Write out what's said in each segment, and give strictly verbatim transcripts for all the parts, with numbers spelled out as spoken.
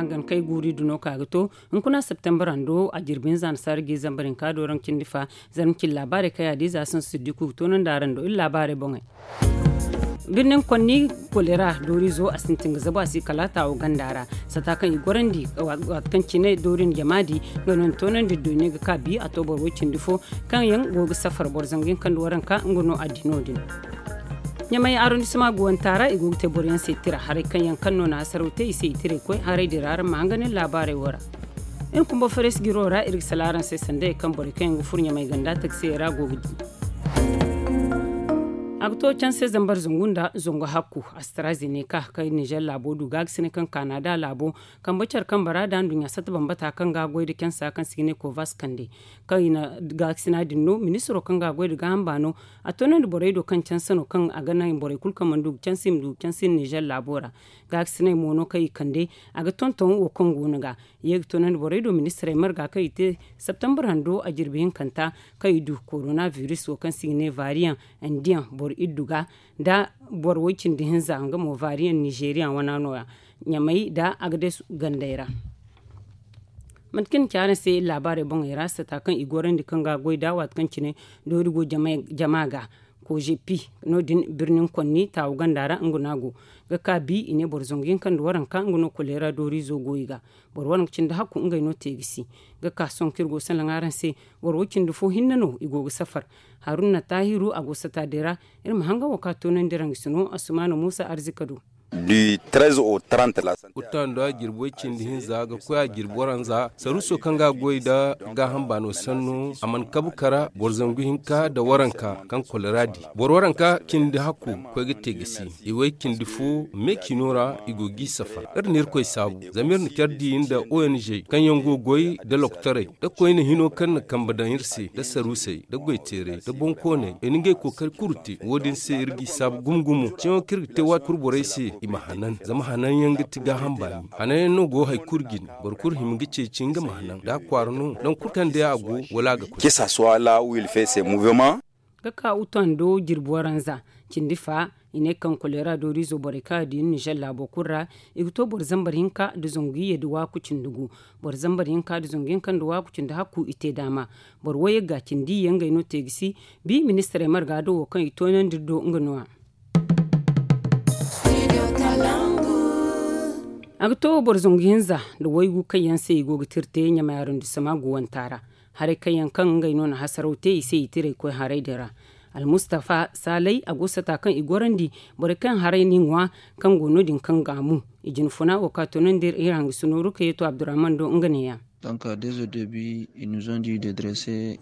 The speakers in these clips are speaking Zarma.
Hangan kay guuri duno ka ga to hunkuna septembar hando a jirbi hinza na saara ga i zambar hinka do raŋ cindi fa. Zarma cin laabaarey kaŋ yaadin za sinsu siddiku ga toonandi araŋ do iri laabaarey boŋey. Birnin konni kolera doorizo a sintin ga zabu a si kala taawo ganda ra. Sata kaŋ i gorandi waati kaŋ cine doori na jama di nga no ni toonandi doy ne ga ka bi a to boro way cindi fo kaŋ yaŋ go ga safar boro zangu yaŋ kaŋ da waranka nga no a di no- din. Ɲamay arrondissement guwanta ra i go ga te boro yaŋ se tira haray kaŋ yaŋ kaŋ no na hasaraw te i se i tiray koy haray din ra araŋ ma hangan iri laabaarey wo ra. Iri kumba fares giro ra iri ga sala araŋ se sanda yaŋ kaŋ borey kaŋ yaŋ ga furo ɲamay ganda taksiyey ra go ga di. A ga to canse zambar zangu nda zangu hakku astrazeneca kaŋ ninzeer laabo du gaagasinay kaŋ kanada laabo kambe care kambe ra da nduɲɲa satta bambata kaŋ ga goy nda cansa kaŋ se i ga ne kovas kande kaŋ i na gaakasina din no ministiro kaŋ ga goy nda gaaham baano a toonandi borey do kaŋ canse no kaŋ a ga naŋ borey kulu kaŋ mana du ga canse i ma du ga canse ninzeer laabo ra. Gaakasinay mo no kaŋ i kande a ga tonton wo kaŋ go no ga ye ga toonandi borey do ministirey marga kaŋ i te septembar hando a jirbi hinkanta kaŋ i du korona biris wo kaŋ se i ga ne variyaŋ indiyaŋ boro iddu ga nda boro way cindi hinza nga mo variyaŋ ninzeeriyaŋ wana no- ya ɲamay nda agades gandey ra. Mate kaŋ ni ci araŋ se iri laabaarey boŋey ra sata kaŋ i gorandi kaŋ ga goy da waati kaŋ cine doori go jama ga kozepi no- din birnin konni taawu ganda ra nga no a go ga ka bi i ne boro zangu yaŋ kaŋ nda waranka nga no koleera dooriizo go i ga boro waranka cindi hakku ngey no te ga si ga ka sohõ kaŋ iri go ga salaŋ araŋ se. Boro wo cindi fo hinne no i go ga safar haruna taahiru a go sata din ra. Iri ma hangan wo kaŋ a toonandi rangasino asumaana muusa arzika do. Uta nda jirbi way cindi hinza ga koy a jirbi waranza saruuso kaŋ ga a goy nda gaaham baano sanno a mana kabu kara boro zangu hinka nda waranka kaŋ kolera di boro waranka cindi hakku koy ga te ga si i way cindi fo me ciino ra i go g'i safar. Iri na irkoy saabu zama iri na care di nda ong kaŋ yaŋ go ga goy nda lokotaray nda koyne hino kaŋ na kambe daŋ iri se nda saruusey nda goyteerey nda boŋkooney i na ngey kookari kulu te wo- din se iri g'i saabu gumo gumo ceeyaŋo kaŋ iri ga te waati kulu borey se i ma hanan zama hanan yaŋ ga ti gaaham baani hanan yaŋ no go hari kulu jine. Boro kulu hima ga ceeci nga ma hanan da a kwaara no nangu kulu kaŋ day a go wala a ga koy. Ga ka utando jirbi waranza cindi fa i ne kaŋ koleera dooriizo borey kaŋ a di ninzeer laabo kulu ra i ga to boro zambar hinka nda zangu iyye nda waaku cindi gu. Boro zambar hinka nda zangu hinka nda waaku cindi hakku i te daama boro wayey ga cindi iyye ngey no te ga si bi ministirey marga do wo kaŋ i toonandi iri do nga no- ya. A ga to boro zangu hinza nda waygu kaŋ yaŋ se i go ga tira te ɲamay arondissema guwanta ra. Haray kaŋ yaŋ kaŋ ngey no na hasaraw te i se i tiray koy haray din ra. Almustafa saalay a go sata kaŋ i gorandi borey kaŋ haray n'i ŋwa kaŋ go no- din kaŋ gaamu i jinfuna wo kaŋ a toonandi iri hangasu nooru kaŋ yeeto abdurrahman do nga neeya.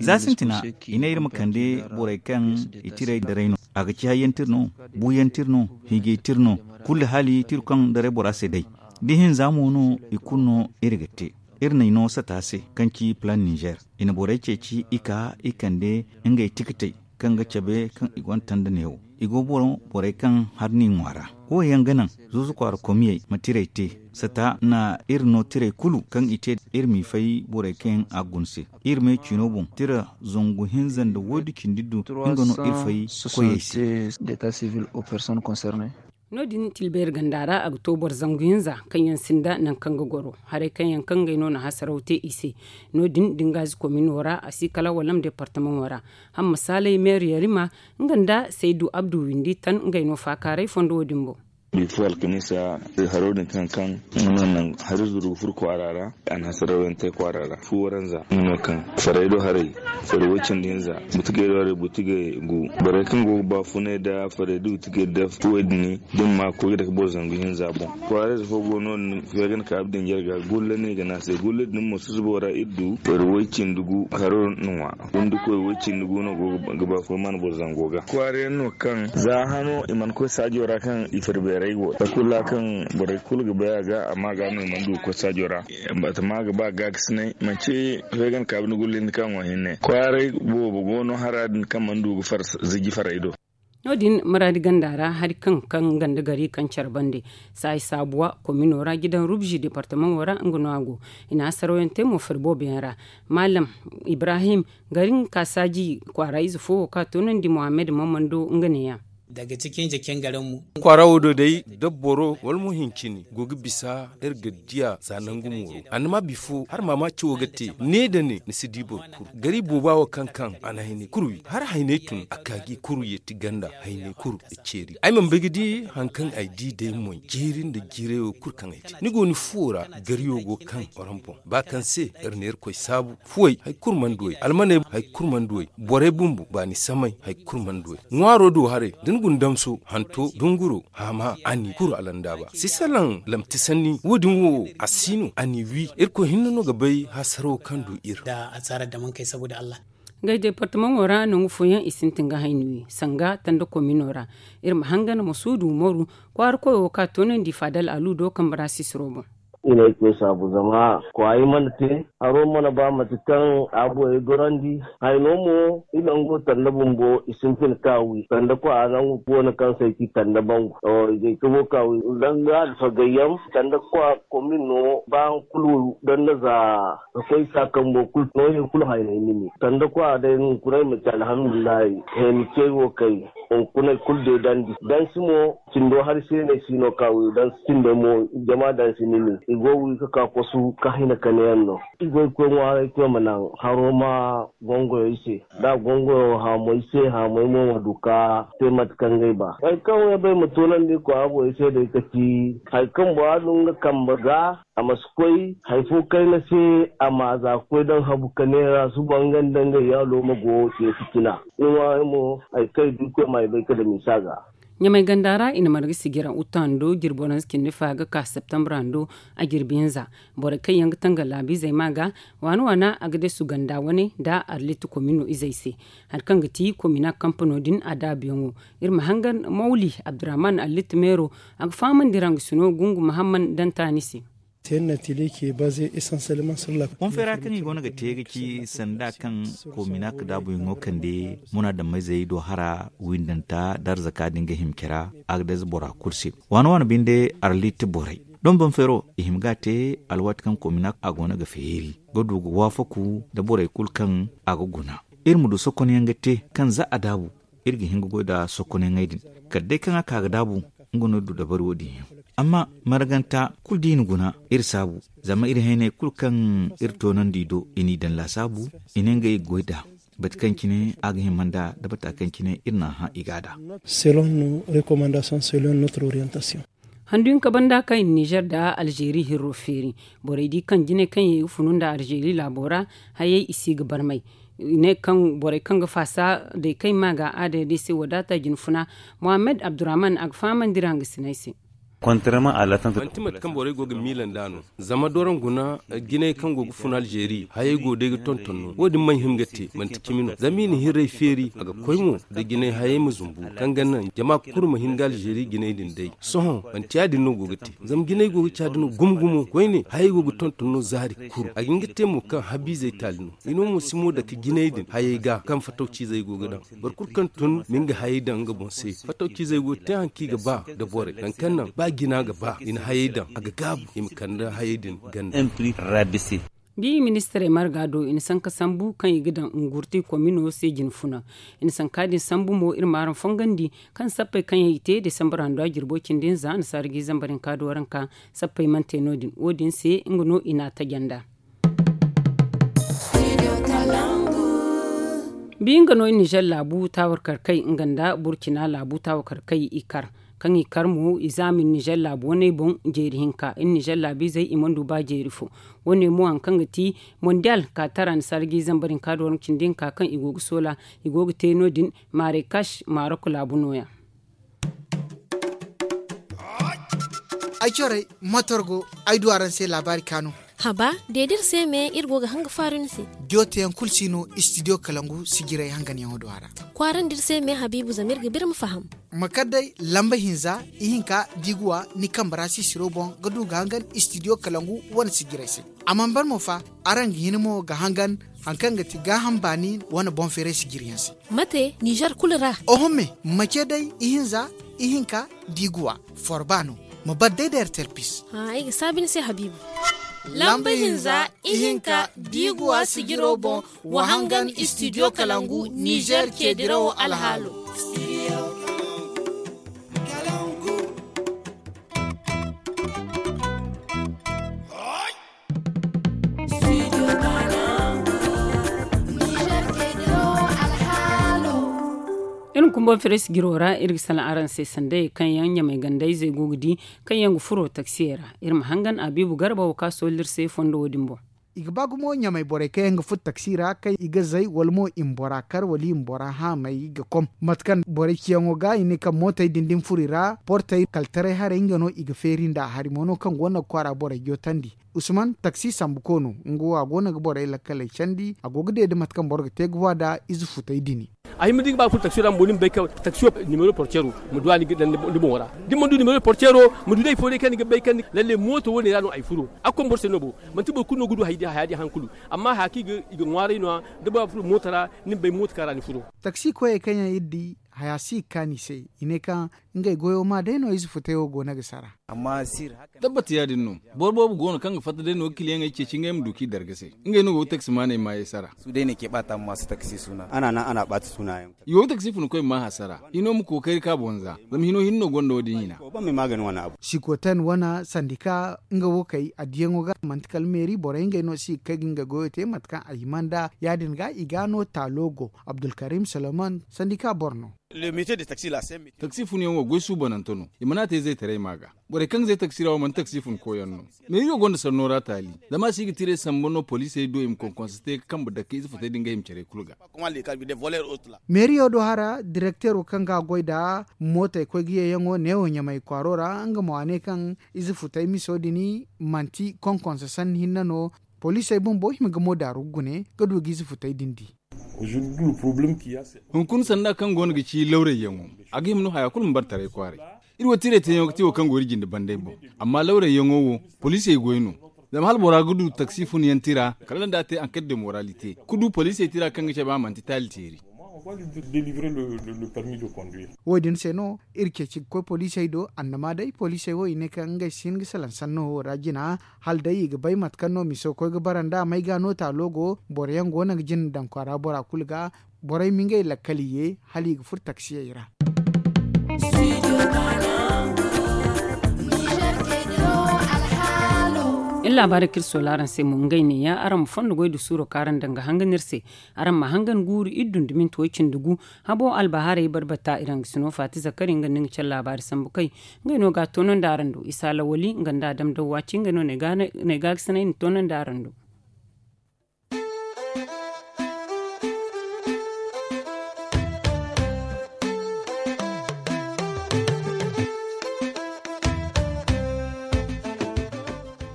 Za sintina i ne iri ma kande borey kaŋ i tiray daray no a ga ci hayyantir no buuyantir no hiijaytir no kulu haali tir kaŋ daray bora se day. Da ihinza mo no i kulu no iri ga te. Iri na i no sata se kaŋ ci plan nizer i na borey ceeci i ka i kande ngey tikitey kaŋ ga cabe kaŋ i gonda tanda neewo i go boro borey kaŋ har n'i ŋwa ra. Wo yaŋ ga naŋ zuuzu kwaara komiyey ma tiray te sata na iri no tiray kulu kaŋ i te iri m'i fay borey kaŋ yaŋ a guna se. Iri me ciino boŋ tira zangu hinza nda woydu cindi du nga no iri fay koyey se. No- din tilbeeri ganda ra a ga to boro zangu hinza kaŋ yaŋ sinda nangu kaŋ ga goro haray kaŋ yaŋ kaŋ ngey no na hasaraw te i se. No- din da nga ize komino ra a si kala walam departamaŋo ra. Hamma saalay meer yarima nga nda saydu abdu windi tan ngey no faakaaray fondo wo- din boŋ. Bifo alkamiisa haro din kaŋ kaŋ nga no naŋ hari zuru ga furo kwaara ra. A na hasaraw yaŋ te kwaara ra fu waranza nga no kaŋ faray do haray faray way cindi hinza butigey do haray butigey gu borey kaŋ go ga baafunay nda faray da butigey nda fuwey din. Da ni ma koy ga dake boro zangu hinza boŋ kwaarayze fo go no din feegan ka abdin jarga gulla no i ga ne a se gulla din mo susubo ra iri du faray way cindi gu haro na ŋwa. Windi koy way cindi gu no go ga baafunay mana boro zango ga kwaara yaŋ no kaŋ za hano i mana koy saajo ra kaŋ i fari beeray go takula kaŋ borey kulu ga bay a ga amma ga no i mana du ga koy saajo ra. Batama ga ba gaakasinay manci feegan kaabi ni gullindi kaŋ wo hinne kwaaray boobo go no hara din kaŋ mana du ga far ziji faray do. No- din maraadi ganda ra hari kaŋ kaŋ ganda gari kaŋ care bande saayi saabuwa komino ra jidan rubzi departamaŋo ra nga no a go. I na hasaraw yaŋ te mo fari boobo yaŋ ra. Maalam ibrahim gari nga ka saaji kwaara ize fo wo kaŋ a toonandi mohammed mamando nga neeya. Kwaara wo do day da boro wala mo hincini go ga bisa iri ga diya za nangu mooro. Annama bifo hari maamaaci wo ga te ne da ne ni si di boro kulu gari booba wo kaŋ kaŋ a na hayney kulu wi hari hayney tun a ka ga i kulu yeeti ganda hayney kulu ga ceeri ay mana bay ga di hari kaŋ ay di day moy jeeri nda jiiray wo kulu kaŋ ay te ni go ni fuwo ra gariyo go kaŋ waran boŋ ba kaŋ se iri na irkoy saabu fuwey hari kulu mana duwey almaney hari kulu mana duwey borey bumbo baani samay hari kulu mana duwey ŋwaaro do haray da ni guna damso hanto dunguro haama a n'i kuru alandaaba si salaŋ lamti sanni wo- din wo a si no a n'i wi irkoy hinne no ga bay hasaro kaŋ du iri. Ngey deepartamaŋo ra nangu fooyaŋ i sintin ga hayni wi sanga tanda komino ra. Iri ma hangan ma suudu umaru kwaara koyo ka toonandi faadal alu do kambe ra sisiro boŋ. I na ay koy saabu zama kwaara i mana te haro mana ba mate kaŋ a borey gorandi. Hayno mo i nango tanda bumbo i sintin ka wi sanda kwaara nangu koona kaŋ se ay ci tanda bangu. I ga ay ka go ka wi danga alfagayyaŋ sanda kwaara komin no ba hari kulu danga za ka koy sa kambo kulu no hari kulu haynay ni ne sanda kwaara day hunkuna ay ma ci alhamdulillahi. Heni cey wo kay hunkuna ay kulu deedandi dansi mo cindo hari se no ay si no ka wi dansi cindey mo jama dansi ni ne i go wi ga ka kosu ka hina kane yaŋ no. I go i koy ŋwaaray koy ma naŋ haro ma gongoyo i se da gongoyo haamo i se haamo ay mo ma du ka te mate kaŋ ga ay ba hari kaŋ wo ay bay ma toonandi kwaara borey se day ka ci hari kaŋ bora du nga kambe ga a ma si koy hari fo kayna se. A ma za ga koy daŋ habu kane ra suba nga nda nga iyaalo ma go te fitina. Ni ŋwaaray mo hari kaŋ i du i koy ma ay bay ka dam i se a ga. Ɲamay ganda ra i na marga sijira uta hando jirbi waranza cindi fa ga ka septembre hando a jirbi hinza. Borey kaŋ yaŋ ga tanga laabiizey ma ga waana waana a ga deesu ganda wane nda arlit komino izey se. Hari kaŋ ga ti komina kampano din a daabuyaŋo. Iri ma hangan mawli abdurrahman arlit meero a ga fahamandi ra nga sino gungu mahamman dantaani se. Konfera kaŋ i goono ga te ga ci sanda kaŋ koomina ka daabuyaŋo kande munaadammayzey do hara windanta da arzaka din ga hima care a ga dayze bora kulu se. Waana waana binde arlit borey don banfero i hima ga a te alwaati kaŋ koomina a goono ga feeri ga du ga waafaku nda borey kulu kaŋ a ga guna. Iri ma du sokonyaŋ ga te kaŋ za a daabu iri ga hin ga goy nda sokonyaŋey din kala day kaŋ a ka ga daabu nga no iri du dabari wo- din yaŋ. Amma marganta kulu da i na guna iri saabu zama iri hayney kulu kaŋ iri toonandi i do i n'i daŋ laasaabu. I ne ngey ga goy nd'a bate kaŋ cine a ga hima nd'a nda bata kaŋ cine iri n'a hã i ga a da. Handu hinka banda kaŋ i na nizer nda alzeeri hirro feeri borey di kaŋ jinay kaŋ yaŋ i ga funu nda alzeeri laabo ra hayey i si ga barmay. I ne kaŋ borey kaŋ ga faasa day kaŋ i ma ga aadaya day se wadaata jinfuna. Mohammed abdurrahman a ga fahamandi ra nga sinay se. Manti mate kaŋ borey go ga miila nd'a no zama doron guna jinay kaŋ go ga fun alzeeri hayey go day ga tonton no wo- din mana hin ga te manti cimi no zama i na hirray feeri a ga koy mo nda jinay hayey ma zumbu kaŋ ga naŋ jama kulu ma hin ga alzeeri jinay din day. Sohõ manti ya- din no go ga te zama jinay go ga caadi no gumo gumo koyne hayey go ga tonton no zaari kulu a ga hin ga te mo kaŋ habiizey taali no. I no mo si mo dake jinay din hayey ga kaŋ fatawciizey go ga daŋ boro kulu kaŋ tun ma nga hayey daŋ nga boŋ se fatawciizey go ga te hari kaŋ i ga ba nda borey nangu kaŋ naŋ ba jina ga ba i na hayey daŋ a ga gaabu i ma kande hayey din ganda. Bi ministirey marga do i na sanka sambu kaŋ i ga daŋ ngurti komino se jinfuna. I na sanka din sambu mo iri ma araŋ fongandi kaŋ sappey kaŋ yaŋ i te desambar handu a jirbo cindi hinza nasaara ga i zambar hinka do waranka. Sappey mana te no- din wo- din se nga no i n'a taja nd'a. Bi nga no i nizer laabu taawarkarkey nga nda burcina laabu taawarkarkey i kar kaŋ i kar mo i zaama i nizer laabu waney boŋ jeeri hinka i nizer laabiizey i mana du ba jeeri fo. Wo- ne mo hari kaŋ ga ti mondiyal ka tara ni sarji zambar hinka da waranka cindi hinka kaŋ i go ga soola i go ga te no- din. Maarey kaasi maarok laabu no- ya. Ay corey motor go ay du araŋ se laabaari kaanu. Haba de da iri se me iri go ga hanga faaru ni se. Jooteyaŋ kulu si no istidiyo kalangu sijirey hanganyaŋo do a ra. Kwaarandi iri se me habiibu zama iri ga ba iri ma faham. Ma kar day lamba hinza ihinka da i ga wa ni kambe ra sisiro boŋ ga du ga hangan istidiyo kalangu wane sijirey se. A mana ban mo fa, araŋ ga hin mo ga hangan hari kaŋ ga ti gaaham baani wane boŋ feeray sijiriyaŋ se. Mate nizer kulu ra? Oho me, ma ce day ihinza ihinka da i ga wa forba no. Ma bar day da ertel pis. Ay ga saabi ni se habiibu. Lamba hinza ihinka da i ga wa sijiro boŋ. Wa hangan istidiyo kalangu nizer ceedirawo alhaalo. Kumbo feres jiro ra iri ga salaŋ araŋ se sanday kaŋ yaŋ ɲamay gandayzey go ga di, kaŋ yaŋ ga furo taksiyey ra. Iri ma hangan abiibu garba wo kaŋ a sohõ iri se fondo wo- din boŋ. I ga ba gumo ɲamay borey kaŋ yaŋ ga furo taksi ra kaŋ i ga zay wala mo i ma bora kar wala i ma bora haamay ga kom mate kaŋ borey ciyaŋo ga i ne kaŋ mootey din da ni furo i ra portey kaltaray haray nga no i ga feeri nd'a hari mo no kaŋ go no ga kwaara borey jootandi. Usman taksi sambu koono nga wo a go no ga borey lakkaley candi a go ga deede mate kaŋ boro ga te ga wa nd'a ize futay dini. A hima da ni ga ba ga furo taksiyo ra ma boori ma bay kaŋ taksiyo nimero porcero ma du a ni ga daŋ ni boŋo ra. Da ni mana du nimero porcero ma du day fo day kaŋ ni ga bay kaŋ lalle mooto wo- ne ra no ay furo. A ga koy boro se no bo. Manti boro kulu no ga du haya din haŋ kulu. Amma haya kaŋ i ga ŋwaaray no- ya da ba ga furo mooto ra ni ma bay mooto kaŋ ra ni furo. Taksi koyey kaŋ yaŋ iri di haya si ga kaanu i se. I ne kaŋ ngey goyo ma day no ize futay wo go no ga sara. Tabbat ya- din no. Boro boobo go no kaŋ ga fatta day no ga kiliyaŋey ceeci ngey ma du kaŋ i darga se. Ngey no go ga taksimaaney maayey sara. I go ga taksi funikoy ma maa hasara. Hino ma kookari ka boŋ za. Zama hino hinne no gonda wo- din hina. Sikoten wane sandika nga wo kay addiyaŋo ga manti kala meeri borey ngey no si ga kay ga nga goyo te mate kaŋ a hima nd'a ya- din ga i ga no taalo go. Abdulkarim solomon sandika boro no. Taksi funyaŋo goy suubanante no. I mana te zaytaray ma ga. Borey kaŋ ga zay taksi ra wo manti taksi funkoyaŋ no. Meeriyo gonda sanno ra taali. Zama a si ga tiray samba no poliisey do i ma konkonsa te ga kambe dake ize futay din ga hima care kulu ga. Meeriyo do hara direkteero kaŋ ga a goy nd'a mootey koy ga yeeyaŋo neewo ɲamay kwaaro ra nga mo a ne kaŋ ize futay miso din manti konkonsa sanni hinne no. Poliisey bumbo hima ga mo daaru ga gune ga du ga ize futay din di. Hunkuna sanda kaŋ go no ga ci lawrayyaŋo, a ga hima no haya kulu ma bare taray kwaaray. Iri wo tiray teeyaŋo ga ti wo kaŋ go iri jinde banday boŋ. Amma lawrayyaŋo wo poliisey goy no. Zama hala bora ga du taksi funyaŋ tira kala nda a te anket de moralite ga du poliisey tira kaŋ ga cabe a manti taali teeri. Wo- din se no iri ceeci ga koy poliisey do annama day poliisey wo i ne kaŋ ngey si hin ga salaŋ sanno wo ra jina. Hala day i ga bay mate kaŋ no miso koy ga bara nd'a may ga no taalo go boro yaŋ go no ga jina daŋ kwaara bora kulu ga. Borey ma ngey lakkali ye hala i ga furo taksiyey ra. Iri laabaarey kaŋ iri soola araŋ se mo ngey neeya araŋ ma fondo goy nda suuro kaŋ araŋ daŋ ga hangan iri se. Araŋ ma hangan guuru iri dunduminte way cindi gu. Habo albahaarey barbata iraŋ ga sino faati zakari nga nda ni ga care laabaari sambu kay. Ngey no ga a toonandi araŋ do isa lawali nga nda adam daw waati ngey no na ay gaagasinay na toonandi araŋ do.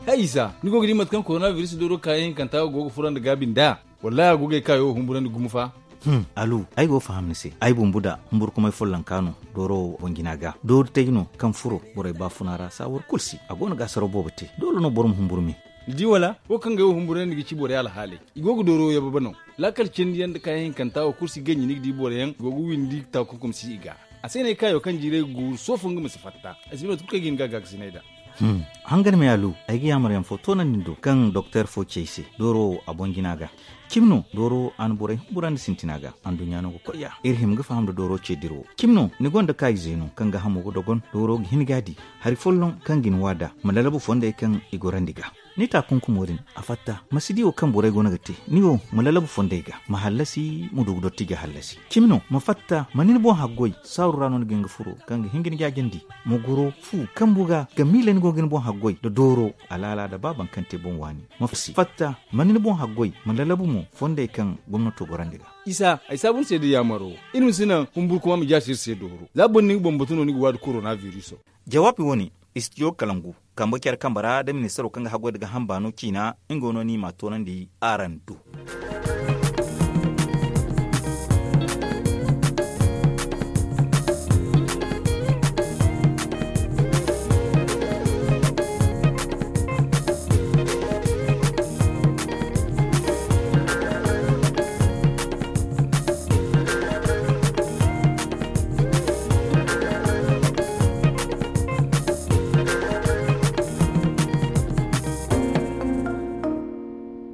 Hay isa ni go ga di mate kaŋ korona biris dooro kaayaŋ hinkanta go ga furo nda gaabi nd'a? Wallaahi a go ga ay kaayo wo humburandi gumo fa. Alu, ay go ga faham ni se. Ay bumbo da humburkumay follonka no dooro wo boŋ jina ga doori tay no kaŋ furo borey baafuna ra saawar kulu si a go no ga asaro boobo te doole no boro ma humburu me. Ni di wala wo kaŋ ga ay wo humburandi ga ci borey alhaaley. I go ga dooro yababe no. Laakal cindi yaŋ nda kaayaŋ hinkanta wo kulu si ganji ni ga di boro yaŋ go ga windi taakunkum si i ga. A se no ay kaayo kaŋ jiiray ga guuru soofo nga ma si fatta. Ay si bay mate kulu kaŋ ay ga hin ga a gaakasinay nd'a. Hangan me alu, ay ga yaamar yaŋ fo toonandi ni do kaŋ doktor fo ci ay se dooro wo a boŋ jina ga. Cimi no dooro wo a na borey humburandi sintina ga anduɲɲa no ga koy ya iri hima ga faham nda dooro ce dira wo. Cimi no ni gonda kaayize no kaŋ ga hamo ga dogon dooro ga hin ga a di. Hari folloŋ kaŋ ga ni wa nd'a ma lalabu fondey kaŋ i gorandi ga. Ni taakunkumo din a fatta ma si di wo kaŋ borey go no ga te. Ni wo ma lalabu fondey ga ma hallasi ma du ga dotti ga hallasi. Cimi no ma fatta ma ni ni boŋ haggoy saaru ra no ni ga hin ga furo kaŋ ga hin ga ni jaajandi. Ma goro fu kambu ga ga miila ni go ga ni boŋ haggoy nda dooro alaala nda ba baŋ kaŋ te boŋ waani. Ma fatta ma ni ni boŋ haggoy ma lalabu mo fondey kaŋ gomnato gorandi ga. Isa ay saabu ni se da yaamaro iri ma si naŋ humburkuma ma jaasi iri se dooro za boro ni ga bambatu no ni ga waadi korona biriso. Jawaabi wo-ne istijo kalangu kambe care kambe ra da ministaro kaŋ ga haggoy nda ga hamba no ciina nga wo no ni m'a toonandi araŋ do.